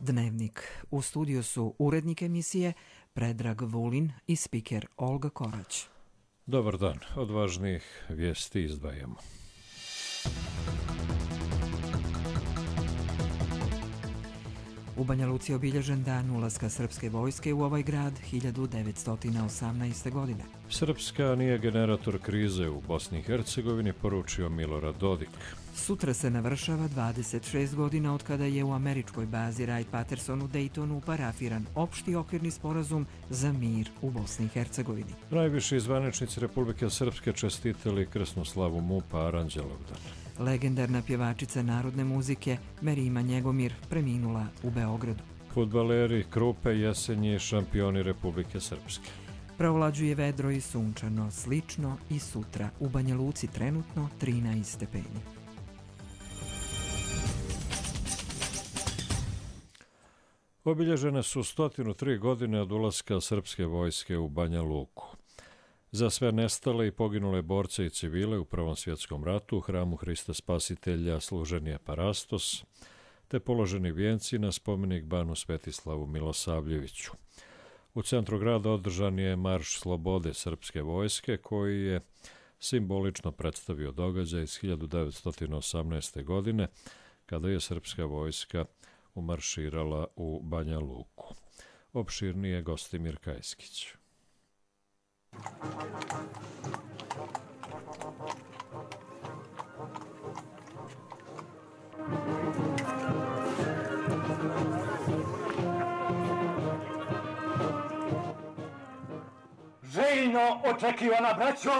Dnevnik. U studiju su urednik emisije Predrag Vulin i spiker Olga Korać. Dobar dan. Od važnijih vijesti izdvajamo. U Banja Luci je obilježen dan ulaska srpske vojske u ovaj grad 1918. godine. Srpska nije generator krize u Bosni i Hercegovini, poručio Milorad Dodik. Sutra se navršava 26 godina od kada je u američkoj bazi Wright-Patterson u Daytonu parafiran opšti okvirni sporazum za mir u Bosni i Hercegovini. Najviši zvaničnici Republike Srpske čestitali krsnu slavu MUP-a Aranđelovdan. Legendarna pjevačica narodne muzike Merima Njegomir preminula u Beogradu. Fudbaleri Krupe Jesenji šampioni Republike Srpske. Provlađuje vedro i sunčano, slično i sutra. U Banja Luci trenutno 13 stepeni. Obilježene su 103 godine od ulaska srpske vojske u Banja Luku. Za sve nestale i poginule borce i civile u Prvom svjetskom ratu u hramu Hrista Spasitelja služen je parastos, te položeni vijenci na spomenik Banu Svetislavu Milosavljeviću. U centru grada održan je Marš slobode srpske vojske, koji je simbolično predstavio događaj iz 1918. godine, kada je srpska vojska umarširala u Banja Luku. Opširnije Gostimir Kajskić. Željno očekivana braćo,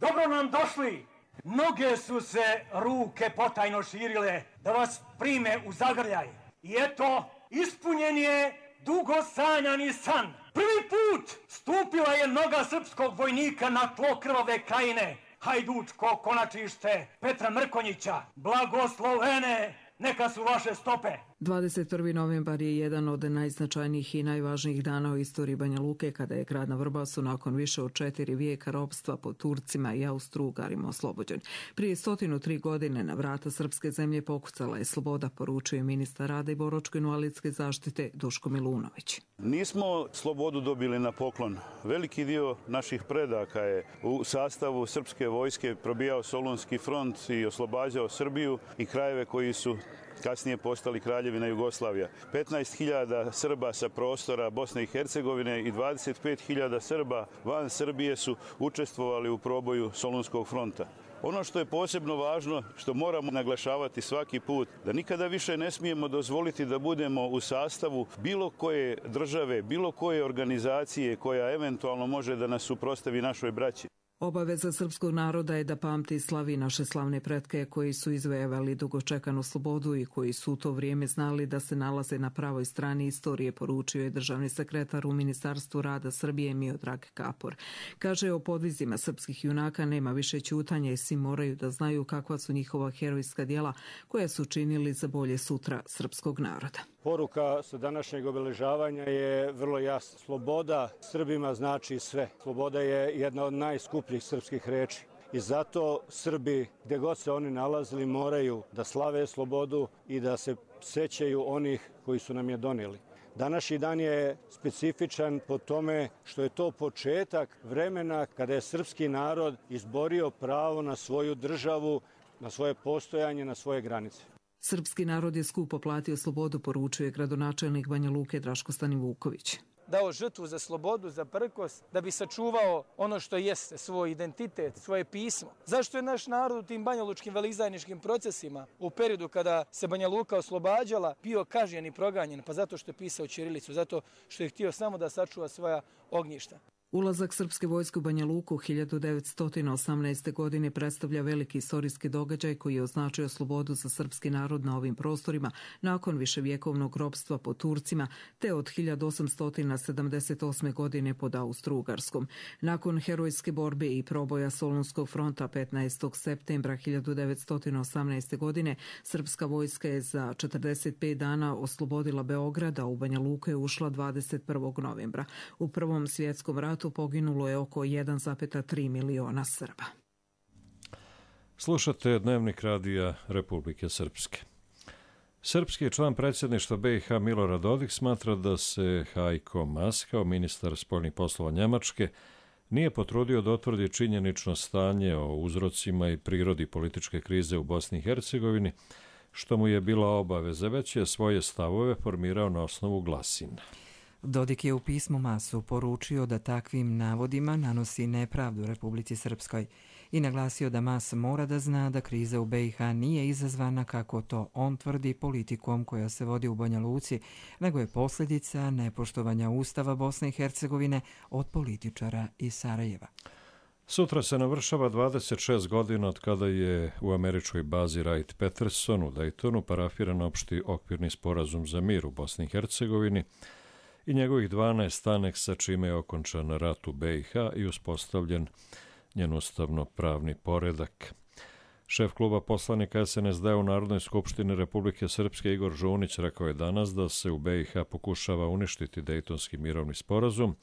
dobro nam došli. Mnoge su se ruke potajno širile da vas prime u zagrljaj. I eto, ispunjen je dugo sanjani san. Prvi put stupila je noga srpskog vojnika na tlo krvave Krajine. Hajdučko konačište Petra Mrkonjića, blagoslovene neka su vaše stope. 21. novembar je jedan od najznačajnijih i najvažnijih dana u istoriji Banja Luke, kada je grad na Vrbasu nakon više od 4 vijeka ropstva pod Turcima i Austro-Ugarima oslobođen. Prije 103 godine na vrata srpske zemlje pokucala je sloboda, poručuje ministar rada i boračko-invalidske zaštite Duško Milunović. Nismo slobodu dobili na poklon. Veliki dio naših predaka je u sastavu srpske vojske probijao Solunski front i oslobađao Srbiju i krajeve koji su kasnije postali Kraljevina Jugoslavija. 15.000 Srba sa prostora Bosne i Hercegovine i 25.000 Srba van Srbije su učestvovali u proboju Solunskog fronta. Ono što je posebno važno, što moramo naglašavati svaki put, da nikada više ne smijemo dozvoliti da budemo u sastavu bilo koje države, bilo koje organizacije koja eventualno može da nas suprotstavi našoj braći. Obaveza srpskog naroda je da pamti i slavi naše slavne pretke koji su izvojevali dugočekanu slobodu i koji su u to vrijeme znali da se nalaze na pravoj strani istorije, poručio je državni sekretar u Ministarstvu rada Srbije Miodrag Kapor. Kaže, o podvizima srpskih junaka nema više ćutanja i svi moraju da znaju kakva su njihova herojska djela koja su činili za bolje sutra srpskog naroda. Poruka sa današnjeg obeležavanja je vrlo jasna. Sloboda Srbima znači sve. Sloboda je jedna od najskupljih srpskih reči. I zato Srbi, gdje god se oni nalazili, moraju da slave slobodu i da se sećaju onih koji su nam je donijeli. Današnji dan je specifičan po tome što je to početak vremena kada je srpski narod izborio pravo na svoju državu, na svoje postojanje, na svoje granice. Srpski narod je skupo platio slobodu, poručuje gradonačelnik Banja Luke Draško Stanivuković. Dao žrtvu za slobodu, za prkost, da bi sačuvao ono što jeste, svoj identitet, svoje pismo. Zašto je naš narod u tim banjalučkim veleizdajničkim procesima u periodu kada se Banja Luka oslobađala bio kažnjen i proganjen? Pa zato što je pisao ćirilicu, zato što je htio samo da sačuva svoja ognjišta. Ulazak srpske vojske u Banja Luku 1918. godine predstavlja veliki istorijski događaj koji je označio slobodu za srpski narod na ovim prostorima nakon viševjekovnog ropstva pod Turcima te od 1878. godine pod Austro-Ugarskom. Nakon herojske borbe i proboja Solunskog fronta 15. septembra 1918. godine srpska vojska je za 45 dana oslobodila Beograd, a u Banja Luku je ušla 21. novembra. U Prvom svjetskom ratu poginulo je oko 1,3 miliona Srba. Slušate Dnevnik radija Republike Srpske. Srpski član predsjedništva BiH Milorad Dodik smatra da se Heiko Maas, kao ministar spoljnih poslova Njemačke, nije potrudio da otvrdi činjenično stanje o uzrocima i prirodi političke krize u Bosni i Hercegovini, što mu je bila obaveza, već je svoje stavove formirao na osnovu glasina. Dodik je u pismu Maasu poručio da takvim navodima nanosi nepravdu Republici Srpskoj i naglasio da Maas mora da zna da kriza u BiH nije izazvana, kako to on tvrdi, politikom koja se vodi u Banja Luci, nego je posljedica nepoštovanja Ustava Bosne i Hercegovine od političara iz Sarajeva. Sutra se navršava 26 godina od kada je u američkoj bazi Wright-Patterson u Daytonu parafiran opšti okvirni sporazum za mir u Bosni i Hercegovini i njegovih 12 aneksa, čime je okončan rat u BiH i uspostavljen njen ustavno-pravni poredak. Šef kluba poslanika SNSD u Narodnoj skupštini Republike Srpske Igor Žunić rekao je danas da se u BiH pokušava uništiti Dejtonski mirovni sporazum,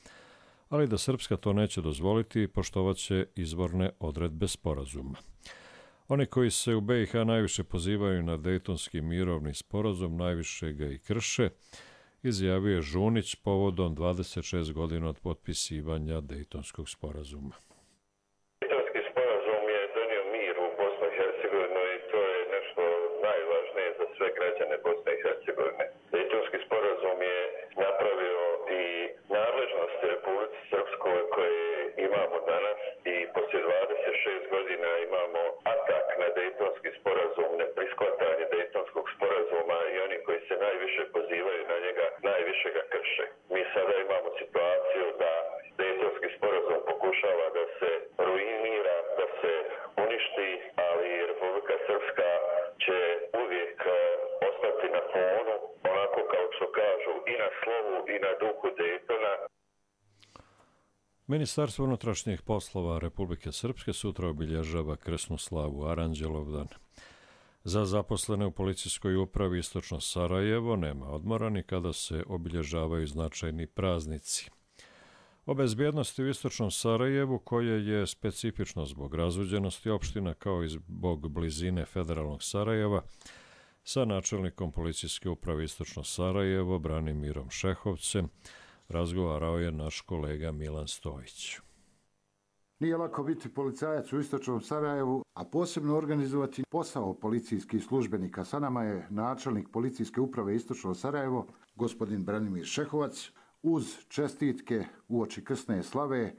ali da Srpska to neće dozvoliti i poštovaće izvorne odredbe sporazuma. Oni koji se u BiH najviše pozivaju na Dejtonski mirovni sporazum najviše ga i krše, izjavio je Žunić povodom 26 godina od potpisivanja Dejtonskog sporazuma. Dejtonski sporazum je donio mir u Bosnu i Hercegovinu i to je nešto najvažnije za sve građane Bosne i Hercegovine. Dejtonski sporazum je napravio i nadležnosti Republici Srpskoj koje imamo danas i poslije 26 godina imamo atak na Dejtonski sporazum, neprihvatanje Dejtonskog sporazuma i oni koji se najviše pozivaju na njega najviše ga krše. Mi sada imamo situaciju da Dejtonski sporazum pokušava da se ruinira, da se uništi, ali Republika Srpska će uvijek ostati na planu, onako kao što kažu, i na slovu i na duhu Dejtona. Ministarstvo unutrašnjih poslova Republike Srpske sutra obilježava krsnu slavu Aranđelovdan. Za zaposlene u policijskoj upravi Istočno Sarajevo nema odmora ni kada se obilježavaju značajni praznici. O bezbjednosti u Istočnom Sarajevu, koje je specifično zbog razuđenosti opština kao i zbog blizine federalnog Sarajeva, sa načelnikom policijske uprave Istočno Sarajevo Branimirom Šehovcem razgovarao je naš kolega Milan Stojić. Nije lako biti policajac u Istočnom Sarajevu, a posebno organizovati posao policijskih službenika. Sa nama je načelnik policijske uprave Istočno Sarajevo, gospodin Branimir Šehovac. Uz čestitke uoči krsne slave,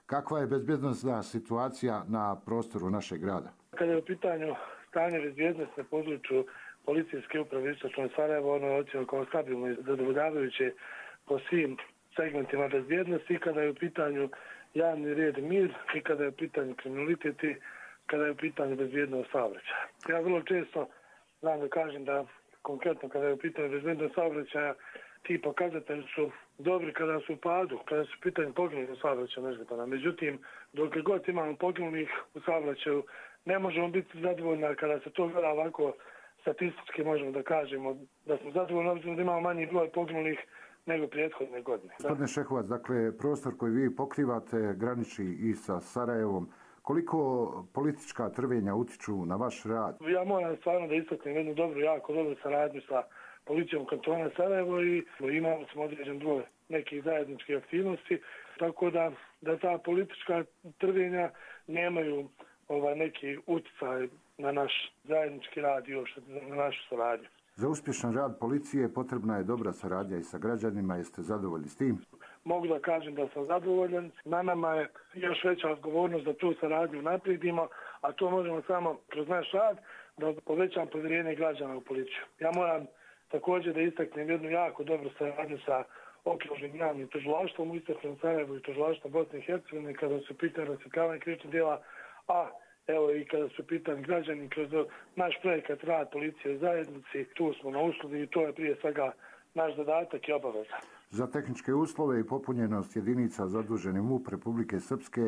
kakva je bezbjednosna situacija na prostoru našeg grada? Kada je u pitanju stanje bezbjednosti na području policijske uprave Istočno Sarajevo, ono je ocjeno kao stabilno i zadovoljavajuće po svim segmentima bezbjednosti, i kada je u pitanju javni red i mir, i kada je u pitanju kriminalitet, i kada je u pitanju bezbjednost saobraćaja. Ja vrlo često znam da kažem da konkretno kada je u pitanju bezbjednost saobraćaja, ti pokazatelji su dobri kada su u padu, kada su u pitanju poginulih u saobraćaju nezgodana. Međutim, dok god imamo poginulih u saobraćaju, ne možemo biti zadovoljni. Kada se to gleda ovako statistički, možemo da kažemo da smo zadovoljni, obzirom da imamo manji broj poginulih nego prethodne godine. Gospodine Šehovac, dakle, prostor koji vi pokrivate graniči i sa Sarajevom. Koliko politička trvenja utiču na vaš rad? Ja moram stvarno da istaknem jednu jako dobru saradnju sa policijom kantona Sarajevo i imamo smo određen broj nekih zajedničkih aktivnosti, tako da ta politička trvenja nemaju neki utjecaj na naš zajednički rad i još na našu saradnju. Za uspješan rad policije potrebna je dobra saradnja i sa građanima. Jeste zadovoljni s tim? Mogu da kažem da sam zadovoljan. Na nama je još veća odgovornost da tu saradnju naprijedimo, a to možemo samo kroz naš rad da povećam povjerenje građana u policiju. Ja moram također da istaknem jednu jako dobru saradnju sa okružnim javnim tužilaštvom u Istočnom Sarajevu i tužilaštvom Bosne i Hercegovine kada su pitanje rasvjetljavanja krivičnih djela, a evo i kada su pitani građani kroz naš projekat rad policije u zajednici, tu smo na usluzi i to je prije svega naš zadatak i obaveza. Za tehničke uslove i popunjenost jedinica zaduženi MUP Republike Srpske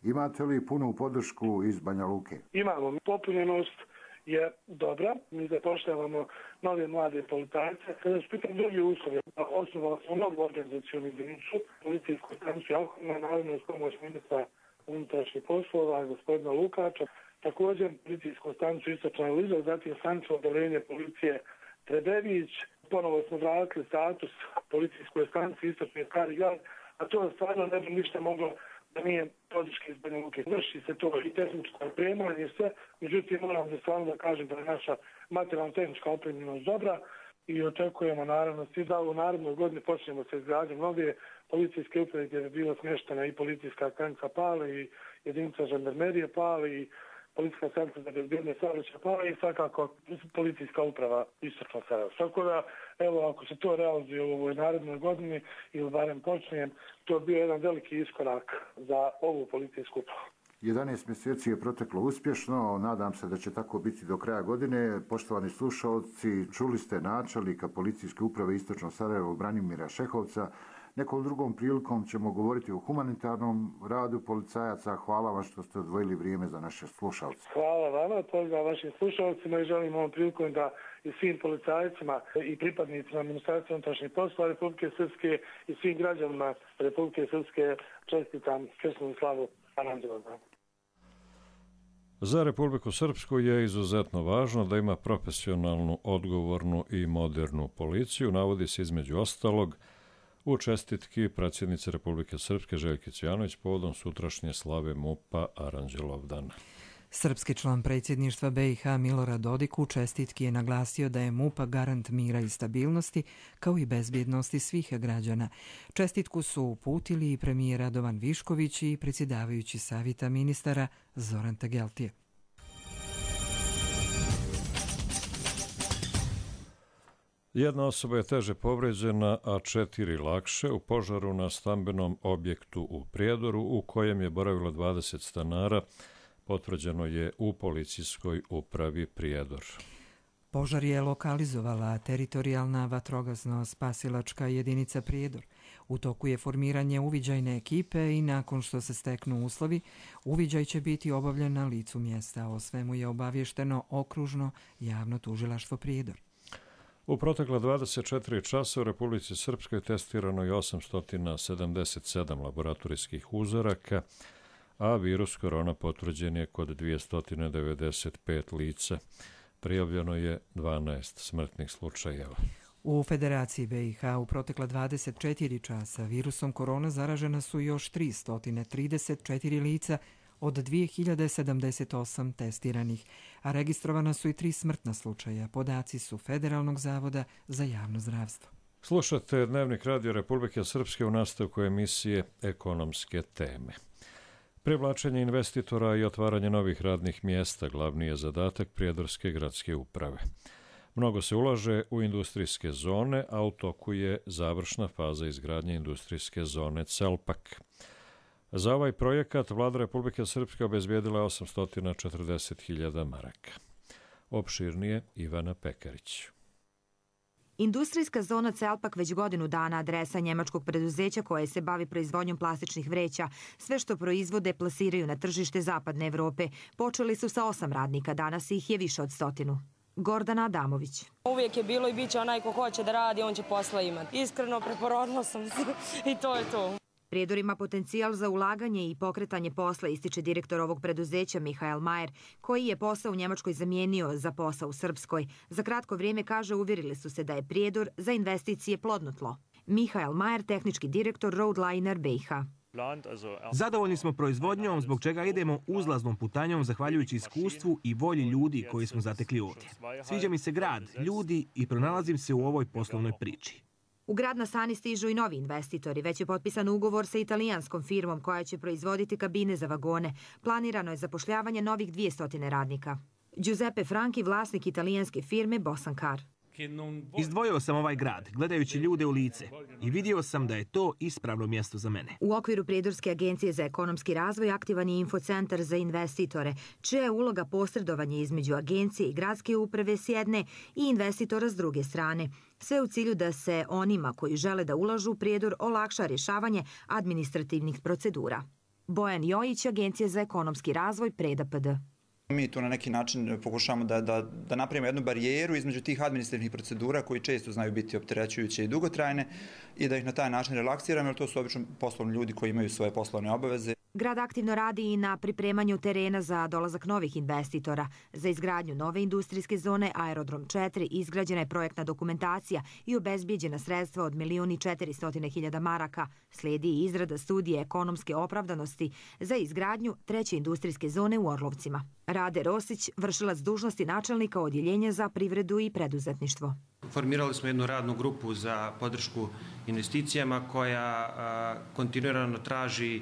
imate li punu podršku iz Banja Luke? Imamo. Popunjenost je dobra. Mi zapošljavamo nove mlade policajce. Kada su pitani drugi uslovi, osnovali smo novu organizacijonu jedinicu, policijsku stanicu Jalkovina, naravno uz pomoć ministra unutrašnjih poslova, gospodina Lukača, također policijsku stanicu Istočna Liza, zatim stanicu odeljenja policije Trebević. Ponovo smo vratili status policijskoj stanici Istočni Stari Grad, a to stvarno ne bi ništa moglo da nije podrške iz Banja Luke. Vrši se to i tehničko opremanje i sve, međutim moram da stvarno da kažem da je naša materijalno-tehnička opremljenost dobra i očekujemo naravno svi da u narednoj godini počnemo sa izgradnjom nove policijske uprave gdje bi bila smještena i policijska stanica Pale i jedinica žandarmerije Pale i policijska stanica za bezbjednost saobraćaja Pale i svakako policijska uprava Istočno Sarajevo. Tako da, evo, ako se to realizuje u ovoj narednoj godini ili barem počne, to je bio jedan veliki iskorak za ovu policijsku upravu. 11 mjeseci je proteklo uspješno, nadam se da će tako biti do kraja godine. Poštovani slušalci, čuli ste načelnika policijske uprave Istočno Sarajevo Branimira Šehovca. Nekom drugom prilikom ćemo govoriti o humanitarnom radu policajaca. Hvala vam što ste odvojili vrijeme za naše slušalce. Hvala vama, pozdrav vašim slušalcima i želim ovom prilikom da i svim policajcima i pripadnicima Ministarstva unutrašnjih poslova Republike Srpske i svim građanima Republike Srpske čestitam krsnu slavu Aranđelovdana. Za Republiku Srpsku je izuzetno važno da ima profesionalnu, odgovornu i modernu policiju, navodi se između ostalog u čestitki predsjednice Republike Srpske Željke Cvijanović povodom sutrašnje slave MUP-a Aranđelovdana. Srpski član predsjedništva BiH Milorad Dodik u čestitki je naglasio da je MUP garant mira i stabilnosti, kao i bezbjednosti svih građana. Čestitku su uputili i premijer Radovan Višković i predsjedavajući savjeta ministara Zoran Tageltije. Jedna osoba je teže povređena, a 4 lakše u požaru na stambenom objektu u Prijedoru u kojem je boravilo 20 stanara, potvrđeno je u policijskoj upravi Prijedor. Požar je lokalizovala teritorijalna vatrogasno-spasilačka jedinica Prijedor. U toku je formiranje uviđajne ekipe i nakon što se steknu uslovi, uviđaj će biti obavljen na licu mjesta. O svemu je obavješteno okružno javno tužilaštvo Prijedor. U protekla 24 časa u Republici Srpskoj testirano je 877 laboratorijskih uzoraka, a virus korona potvrđen je kod 295 lica. Prijavljeno je 12 smrtnih slučajeva. U Federaciji BiH u protekla 24 časa virusom korona zaražena su još 334 lica od 2078 testiranih, a registrovana su i 3 smrtna slučaja. Podaci su Federalnog zavoda za javno zdravstvo. Slušate Dnevnik Radio Republike Srpske u nastavku emisije Ekonomske teme. Privlačenje investitora i otvaranje novih radnih mjesta glavni je zadatak Prijedorske gradske uprave. Mnogo se ulaže u industrijske zone, a u toku je završna faza izgradnje industrijske zone Celpak. Za ovaj projekat vlada Republike Srpske obezbijedila 840.000 maraka. Opširnije Ivana Pekarić. Industrijska zona Celpak već godinu dana adresa njemačkog preduzeća koje se bavi proizvodnjom plastičnih vreća. Sve što proizvode plasiraju na tržište Zapadne Evrope. Počeli su sa 8 radnika, danas ih je više od 100. Gordana Adamović. Uvijek je bilo i bit će onaj ko hoće da radi, on će posla imati. Iskreno preporodila sam se i to je to. Prijedor ima potencijal za ulaganje i pokretanje posla, ističe direktor ovog preduzeća Mihael Majer, koji je posao u Njemačkoj zamijenio za posao u Srpskoj. Za kratko vrijeme, kaže, uvjerili su se da je Prijedor za investicije plodno tlo. Mihael Majer, tehnički direktor Roadliner BiH. Zadovoljni smo proizvodnjom, zbog čega idemo uzlaznom putanjom zahvaljujući iskustvu i volji ljudi koji smo zatekli ovdje. Sviđa mi se grad, ljudi i pronalazim se u ovoj poslovnoj priči. U grad na Sani stižu i novi investitori. Već je potpisan ugovor sa italijanskom firmom koja će proizvoditi kabine za vagone. Planirano je zapošljavanje novih 200 radnika. Giuseppe Franchi, vlasnik italijanske firme Bosankar. Izdvojio sam ovaj grad, gledajući ljude u lice, i vidio sam da je to ispravno mjesto za mene. U okviru Prijedorske agencije za ekonomski razvoj aktivan je infocentar za investitore, čija je uloga posredovanje između agencije i gradske uprave s jedne i investitora s druge strane. Sve u cilju da se onima koji žele da ulažu u Prijedor olakša rješavanje administrativnih procedura. Bojan Jojić, Agencija za ekonomski razvoj, Preda PD. Mi tu na neki način pokušavamo da napravimo jednu barijeru između tih administrativnih procedura koji često znaju biti opterećujuće i dugotrajne i da ih na taj način relaksiramo, jer to su obično poslovni ljudi koji imaju svoje poslovne obaveze. Grad aktivno radi i na pripremanju terena za dolazak novih investitora. Za izgradnju nove industrijske zone Aerodrom 4 izgrađena je projektna dokumentacija i obezbijeđena sredstva od 1.400.000 maraka. Slijedi i izrada studije ekonomske opravdanosti za izgradnju treće industrijske zone u Orlovcima. Rade Rosić, vršilac dužnosti načelnika odjeljenja za privredu i preduzetništvo. Formirali smo jednu radnu grupu za podršku investicijama koja kontinuirano traži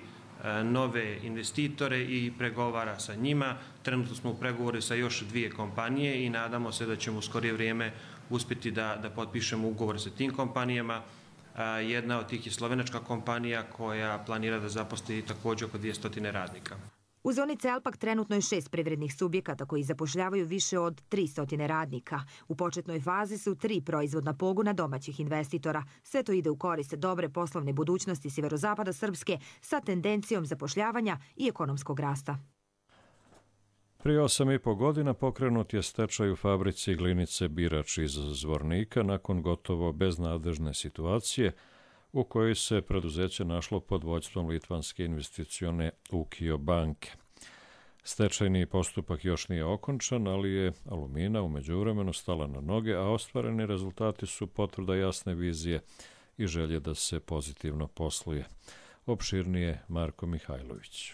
nove investitore i pregovara sa njima. Trenutno smo u pregovore sa još 2 kompanije i nadamo se da ćemo u skorije vrijeme uspjeti da potpišemo ugovor sa tim kompanijama. Jedna od tih je slovenačka kompanija koja planira da zaposli također oko 200 radnika. U zoni Celpak trenutno je 6 privrednih subjekata koji zapošljavaju više od 300 radnika. U početnoj fazi su 3 proizvodna pogona domaćih investitora. Sve to ide u korist dobre poslovne budućnosti sjeverozapada Srpske sa tendencijom zapošljavanja i ekonomskog rasta. Prije 8,5 godina pokrenut je stečaj u fabrici glinice Birač iz Zvornika nakon gotovo beznadežne situacije u kojoj se preduzeće našlo pod vođstvom litvanske investicione Ukio banke. Stečajni postupak još nije okončan, ali je Alumina u međuvremenu stala na noge, a ostvareni rezultati su potvrda jasne vizije i želje da se pozitivno posluje. Opširnije Marko Mihajlović.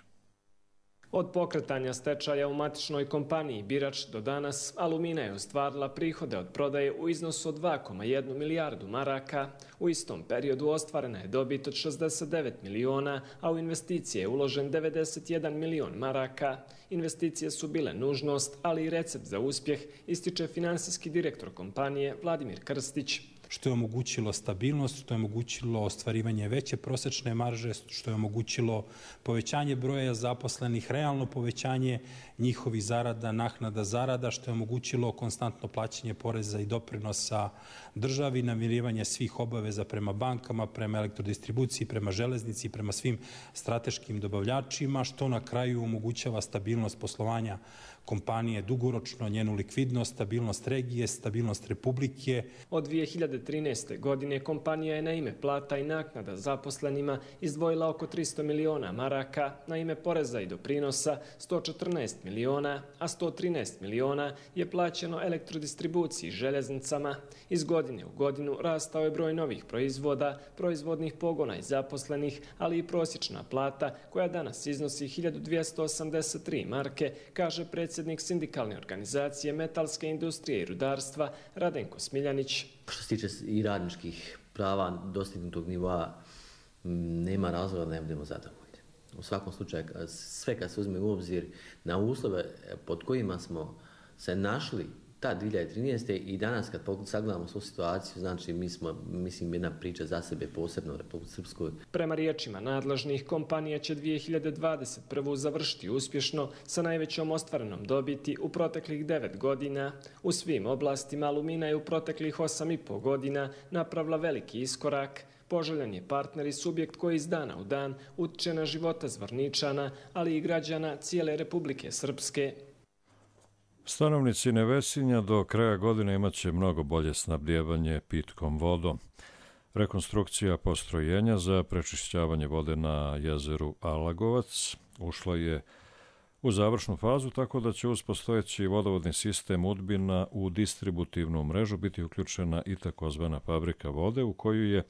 Od pokretanja stečaja u matičnoj kompaniji Birač do danas, Alumina je ostvarila prihode od prodaje u iznosu od 2,1 milijardu maraka. U istom periodu ostvarena je dobit od 69 miliona, a u investicije je uložen 91 milion maraka. Investicije su bile nužnost, ali i recept za uspjeh, ističe finansijski direktor kompanije Vladimir Krstić. Što je omogućilo stabilnost, što je omogućilo ostvarivanje veće prosječne marže, što je omogućilo povećanje broja zaposlenih, realno povećanje njihovih zarada, naknada zarada, što je omogućilo konstantno plaćanje poreza i doprinosa državi, namirivanje svih obaveza prema bankama, prema elektrodistribuciji, prema železnici, prema svim strateškim dobavljačima, što na kraju omogućava stabilnost poslovanja kompanije dugoročno, njenu likvidnost, stabilnost regije, stabilnost Republike. Od 2013. godine kompanija je na ime plata i naknada zaposlenima izdvojila oko 300 miliona maraka, na ime poreza i doprinosa 114 miliona, a 113 miliona je plaćeno elektrodistribuciji i željeznicama. Iz godine u godinu rastao je broj novih proizvoda, proizvodnih pogona i zaposlenih, ali i prosječna plata koja danas iznosi 1283 marke, kaže predsjednik sindikalne organizacije metalske industrije i rudarstva Radenko Smiljanić. Što se tiče i radničkih prava dostignutog nivoa, nema razloga da ne budemo zadovoljni. U svakom slučaju, sve kad se uzme u obzir na uslove pod kojima smo se našli ta 2013. i danas kad sagledamo svu situaciju, znači mi smo, mislim, jedna priča za sebe posebno u Republici Srpskoj. Prema riječima nadležnih, kompanija će 2021. završiti uspješno sa najvećom ostvarenom dobiti u proteklih 9 godina. U svim oblastima Alumina je u proteklih 8,5 godina napravila veliki iskorak. Poželjan je partner i subjekt koji iz dana u dan utiče na života Zvorničana, ali i građana cijele Republike Srpske. Stanovnici Nevesinja do kraja godine imaće mnogo bolje snabdijevanje pitkom vodom. Rekonstrukcija postrojenja za prečišćavanje vode na jezeru Alagovac ušla je u završnu fazu, tako da će uz postojeći vodovodni sistem Udbina u distributivnu mrežu biti uključena i takozvana fabrika vode u koju je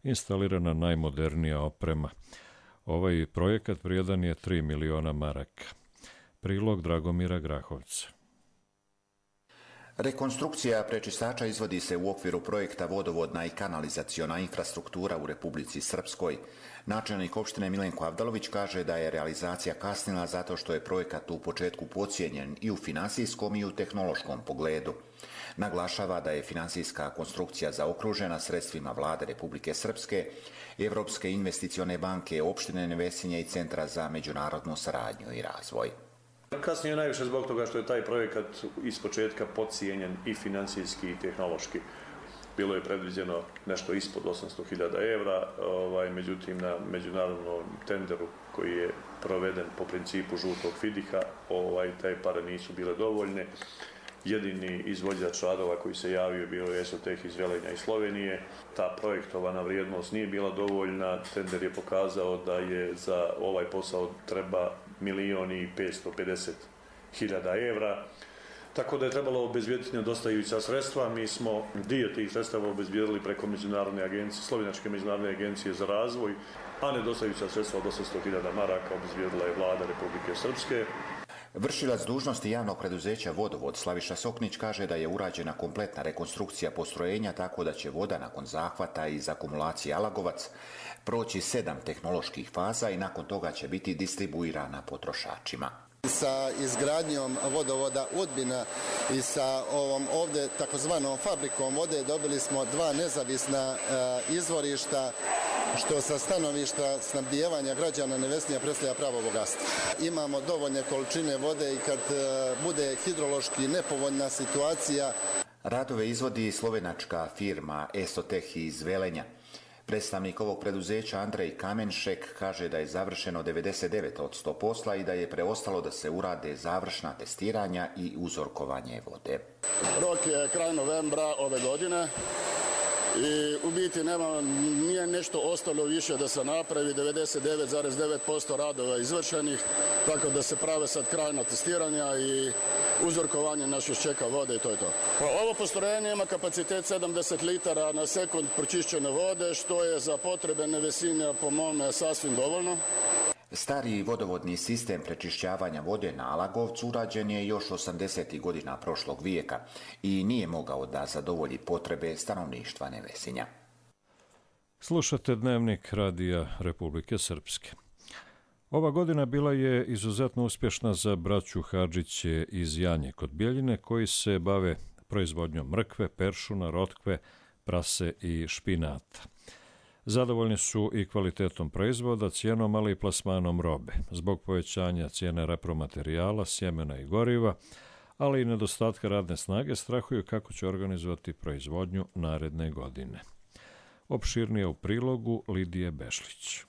instalirana najmodernija oprema. Ovaj projekat vrijedan je 3 miliona maraka. Prilog Dragomira Grahovca. Rekonstrukcija prečistača izvodi se u okviru projekta Vodovodna i kanalizaciona infrastruktura u Republici Srpskoj. Načelnik opštine Milenko Avdalović kaže da je realizacija kasnila zato što je projekat u početku podcijenjen i u finansijskom i u tehnološkom pogledu. Naglašava da je finansijska konstrukcija zaokružena sredstvima Vlade Republike Srpske, Evropske investicione banke, opštine Nevesinje i Centra za međunarodnu saradnju i razvoj. Kasnije najviše zbog toga što je taj projekat iz početka podcijenjen i finansijski i tehnološki. Bilo je predviđeno nešto ispod 800.000 evra, međutim na međunarodnom tenderu koji je proveden po principu žutog fidiha, te pare nisu bile dovoljne jedini izvođač radova koji se javio bio je Esoteh iz Velenja i Slovenije. Ta projektovana vrijednost nije bila dovoljna. Tender je pokazao da je za ovaj posao treba 1.550.000 evra. Tako da je trebalo obezbijediti nedostajuća sredstva. Mi smo dio tih sredstava obezbijedili preko međunarodne agencije, Slovenačke međunarodne agencije za razvoj, a nedostajuća sredstva od 800.000 maraka obezbijedila je vlada Republike Srpske. Vršilac dužnosti javnog preduzeća Vodovod Slaviša Soknić kaže da je urađena kompletna rekonstrukcija postrojenja tako da će voda nakon zahvata iz akumulacije Alagovac proći 7 tehnoloških faza i nakon toga će biti distribuirana potrošačima. Sa izgradnjom vodovoda Udbina i sa ovom ovdje takozvanom fabrikom vode dobili smo 2 nezavisna izvorišta, što sa stanovišta snabdijevanja građana Nevesinja predstavlja pravo bogatstvo. Imamo dovoljne količine vode i kad bude hidrološki nepovoljna situacija. Radove izvodi slovenačka firma Esoteh iz Velenja. Predstavnik ovog preduzeća Andrej Kamenšek kaže da je završeno 99% posla i da je preostalo da se urade završna testiranja i uzorkovanje vode. Rok je kraj novembra ove godine i u biti nije nešto ostalo više da se napravi, 99,9% radova izvršenih, tako da se prave sad krajna testiranja i uzorkovanje naših čeka vode i to je to. Ovo postrojenje ima kapacitet 70 litara na sekund pročišćene vode, što je za potrebe Nevesinja po mome sasvim dovoljno. Stari vodovodni sistem prečišćavanja vode na Alagovcu urađen je još 80. godina prošlog vijeka i nije mogao da zadovolji potrebe stanovništva Nevesinja. Slušate Dnevnik Radija Republike Srpske. Ova godina bila je izuzetno uspješna za braću Hadžiće iz Janje kod Bjeljine, koji se bave proizvodnjom mrkve, peršuna, rotkve, prase i špinata. Zadovoljni su i kvalitetom proizvoda, cijenom, ali i plasmanom robe. Zbog povećanja cijene repromaterijala, sjemena i goriva, ali i nedostatka radne snage, strahuju kako će organizovati proizvodnju naredne godine. Opširnije u prilogu Lidije Bešlić.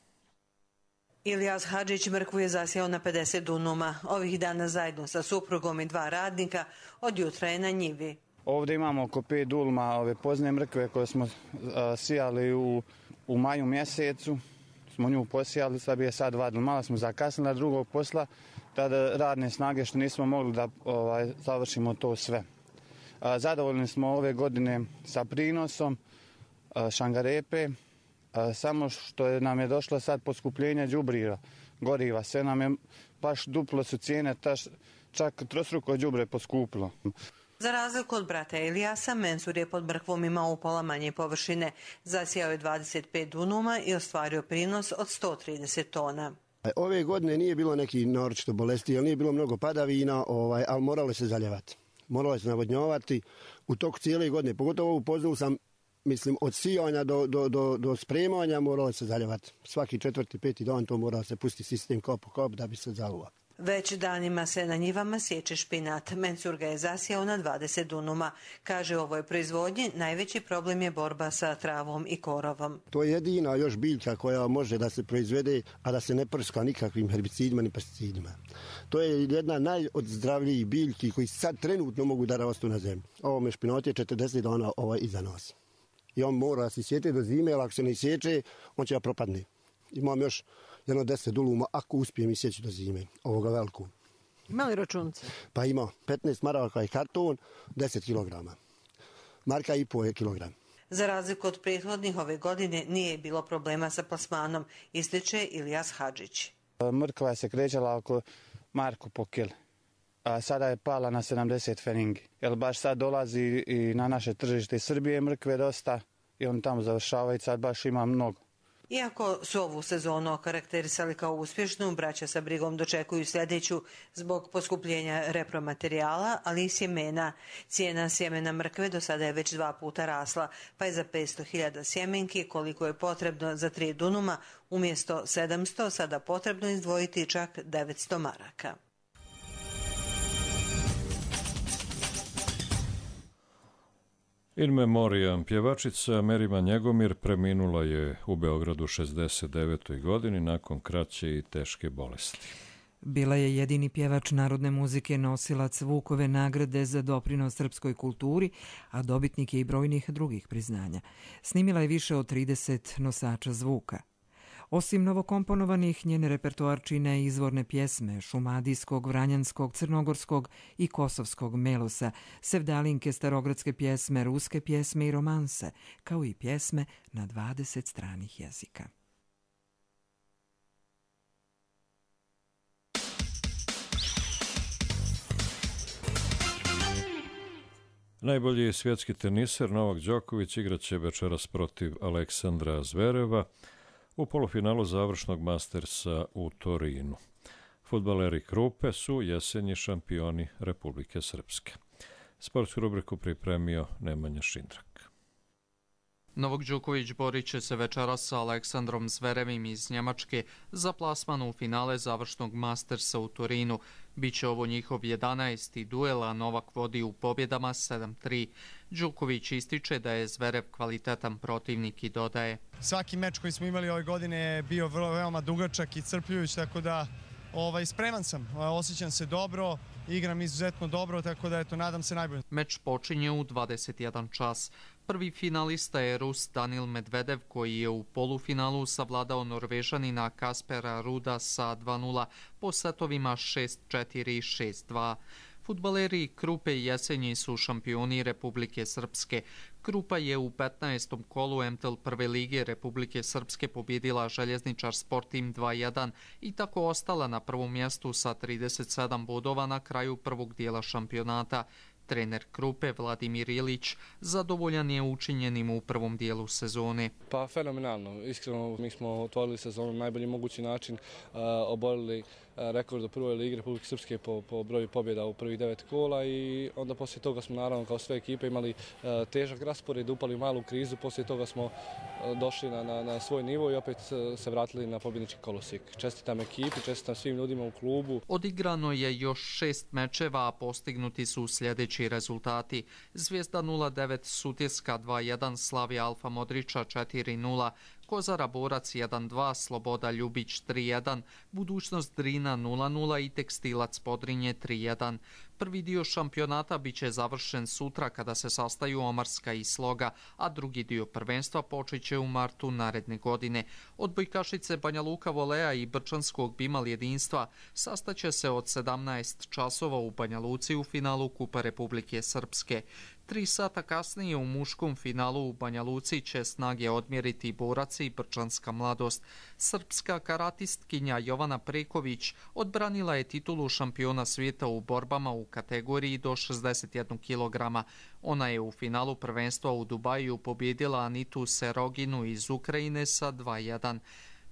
Ilijas Hadžić mrkvu je zasijao na 50 dunuma. Ovih dana zajedno sa suprugom i 2 radnika od jutra je na njivi. Ovdje imamo oko 5 duluma ove pozne mrkve koje smo sijali u maju mjesecu. Smo nju posijali, sad je sad 2 duluma, malo smo zakasnili na drugog posla, tada radne snage što nismo mogli da završimo to sve. Zadovoljni smo ove godine sa prinosom šangarepe, samo što nam je došlo sad poskupljenje đubriva, goriva, sve nam je baš duplo su cijene, čak trostruko đubre poskupilo. Za razliku od brata Ilijasa, Mensur je pod mrkvom imao upola manje površine. Zasijao je 25 dunuma i ostvario prinos od 130 tona. Ove godine nije bilo neki naročito bolesti, jer nije bilo mnogo padavina, ali moralo se zaljevati. Moralo se navodnjavati u toku cijele godine. Pogotovo u poznu sam, mislim, od sijanja do spremanja moralo se zaljevati. Svaki 4. 5. dan to mora se pustiti sistem kop po kop da bi se zaluvao. Već danima se na njivama sječe špinat. Mensur ga je zasijao na 20 dunuma. Kaže, u ovoj proizvodnji najveći problem je borba sa travom i korovom. To je jedina još biljka koja može da se proizvede, a da se ne prska nikakvim herbicidima ni pesticidima. To je jedna najodzzdravljivih biljki koji sad trenutno mogu da rastu na zemlji. Ovo špinat je 40 dana iza nas. I on mora se sjeći do zime, ali ako se ne sjeće, on će da propadne. Imam još jedno 10 duluma, ako uspijem isjeći do zime, ovoga veliku. Ima li računce? Pa ima 15 maraka i karton, 10 kilograma. Marka i po je kilogram. Za razliku od prethodnih, ove godine nije bilo problema sa plasmanom, ističe Ilijas Hadžić. Mrkva se krećala oko marku po kili, a sada je pala na 70 feningi. Jer baš sad dolazi i na naše tržište iz Srbije mrkve dosta i on tamo završava i sad baš ima mnogo. Iako su ovu sezonu okarakterisali kao uspješnu, braća sa brigom dočekuju sljedeću zbog poskupljenja repromaterijala, ali i sjemena. Cijena sjemena mrkve do sada je već 2 puta rasla, pa je za 500.000 sjemenki, koliko je potrebno za 3 dunuma, umjesto 700 sada potrebno izdvojiti čak 900 maraka. In memoriam, pjevačica Merima Njegomir preminula je u Beogradu 69. godini nakon kraće i teške bolesti. Bila je jedini pjevač narodne muzike, nosilac Vukove nagrade za doprinos srpskoj kulturi, a dobitnik je i brojnih drugih priznanja. Snimila je više od 30 nosača zvuka. Osim novokomponovanih, njen repertoar čine izvorne pjesme šumadijskog, vranjanskog, crnogorskog i kosovskog melosa, sevdalinke, starogradske pjesme, ruske pjesme i romanse, kao i pjesme na 20 stranih jezika. Najbolji svjetski teniser Novak Đoković igraće večeras protiv Aleksandra Zvereva u polufinalu završnog Mastersa u Torinu. Fudbaleri Krupe su jesenji šampioni Republike Srpske. Sportsku rubriku pripremio Nemanja Šindrak. Novak Đoković borit će se večeras sa Aleksandrom Zverevim iz Njemačke za plasman u finale završnog Mastersa u Torinu. Biće ovo njihov 11. duel, a Novak vodi u pobjedama 7-3. Đoković ističe da je Zverev kvalitetan protivnik i dodaje: Svaki meč koji smo imali ove godine je bio veoma dugačak i crpljujuć, tako da spreman sam, osjećam se dobro, igram izuzetno dobro, tako da nadam se najbolje. Meč počinje u 21 čas. Prvi finalista je Rus Danil Medvedev, koji je u polufinalu savladao Norvežanina Kaspera Ruda sa 2-0 po setovima 6-4 i 6-2. Fudbaleri Krupe jesenji su šampioni Republike Srpske. Krupa je u 15. kolu MTL prve lige Republike Srpske pobjedila Željezničar Sportim 2-1 i tako ostala na prvom mjestu sa 37 bodova na kraju prvog dijela šampionata. Trener Krupe Vladimir Ilić zadovoljan je učinjenim u prvom dijelu sezone. Pa fenomenalno, iskreno mi smo otvorili sezonu na najbolji mogući način, oborili rekord u prvoj ligi Republike Srpske po broju pobjeda u prvih 9 kola i onda poslije toga smo naravno kao sve ekipe imali težak raspored, upali u malu krizu, poslije toga smo došli na svoj nivo i opet se vratili na pobjednički kolosijek. Čestitam ekipi, čestitam svim ljudima u klubu. Odigrano je još 6 mečeva, a postignuti su sljedeći rezultati. Zvijezda 0-9, Sutjeska 2-1, Slavija Alfa Modrića 4-0, Kozara Borac 1-2, Sloboda Ljubić 3-1, Budućnost Drina 0-0 i Tekstilac Podrinje 3-1. Prvi dio šampionata biće završen sutra kada se sastaju Omarska i Sloga, a drugi dio prvenstva počeće u martu naredne godine. Odbojkašice Banja Luka Volea i Brčanskog Bimal jedinstva sastaće se od 17 časova u Banja Luci u finalu Kupa Republike Srpske. 3 sata kasnije u muškom finalu u Banja Luci će snage odmjeriti Borac i Brčanska Mladost. Srpska karatistkinja Jovana Preković odbranila je titulu šampiona svijeta u borbama u kategoriji do 61 kg. Ona je u finalu prvenstva u Dubaju pobjedila Anitu Seroginu iz Ukrajine sa 2-1.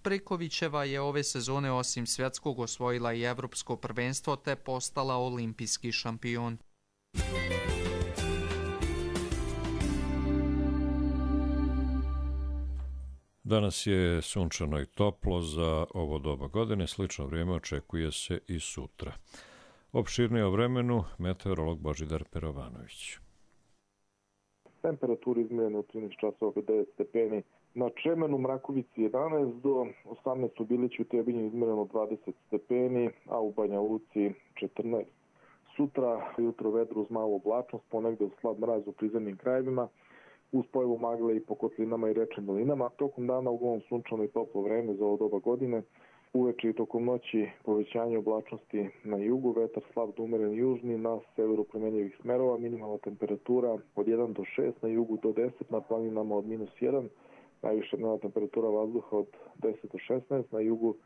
Prekovićeva je ove sezone osim svjetskog osvojila i evropsko prvenstvo te postala olimpijski šampion. Danas je sunčano i toplo za ovo doba godine, slično vrijeme očekuje se i sutra. Opširnije o vremenu meteorolog Božidar Perovanović. Temperatura izmjerena u 13 časova 9 stepeni. Na Čemenu, Mrakovici 11 do 18 u Biliću i Trebinju izmjereno 20 stepeni, a u Banja Luci 14. Sutra jutro vedro uz malu oblačnost, ponegde slab mraz u prizemnim krajevima, uz pojavu magle i po kotlinama i rečnim dolinama. Tokom dana uglavnom sunčano i toplo vreme za ovo doba godine. Uveče i tokom noći povećanje oblačnosti na jugu, vetar slab do umeren južni, na severu promenjivih smerova, minimalna temperatura od 1 do 6, na jugu do 10, na planinama od -1, najviša dnevna temperatura vazduha od 10 do 16, na jugu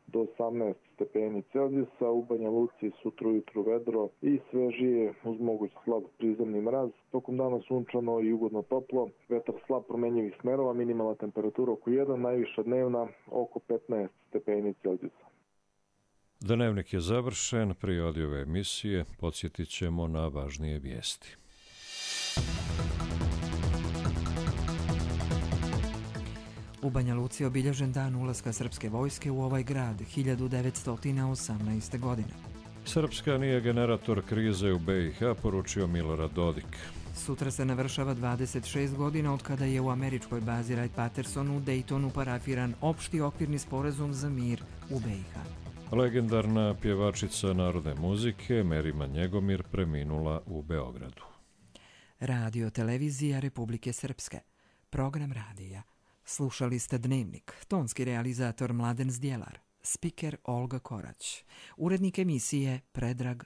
do 18 stepeni Celzijusa, u Banja Luci sutra ujutru vedro i svežije uz moguć slab prizemni mraz. Tokom dana sunčano i ugodno toplo, vetar slab promenjivih smerova, minimalna temperatura oko 1, najviša dnevna oko 15 stepeni Celzijusa. Dnevnik je završen, prije ove emisije podsjetit ćemo na važnije vijesti. U Banja Luci obilježen dan ulaska srpske vojske u ovaj grad 1918. godine. Srpska nije generator krize u BiH, poručio Milorad Dodik. Sutra se navršava 26 godina od kada je u američkoj bazi Wright-Patterson u Daytonu parafiran opšti okvirni sporazum za mir u BiH. Legendarna pjevačica narodne muzike Merima Njegomir preminula u Beogradu. Radio televizija Republike Srpske. Program radija. Slušali ste Dnevnik. Tonski realizator Mladen Zdjelar. Spiker Olga Korać. Urednik emisije Predrag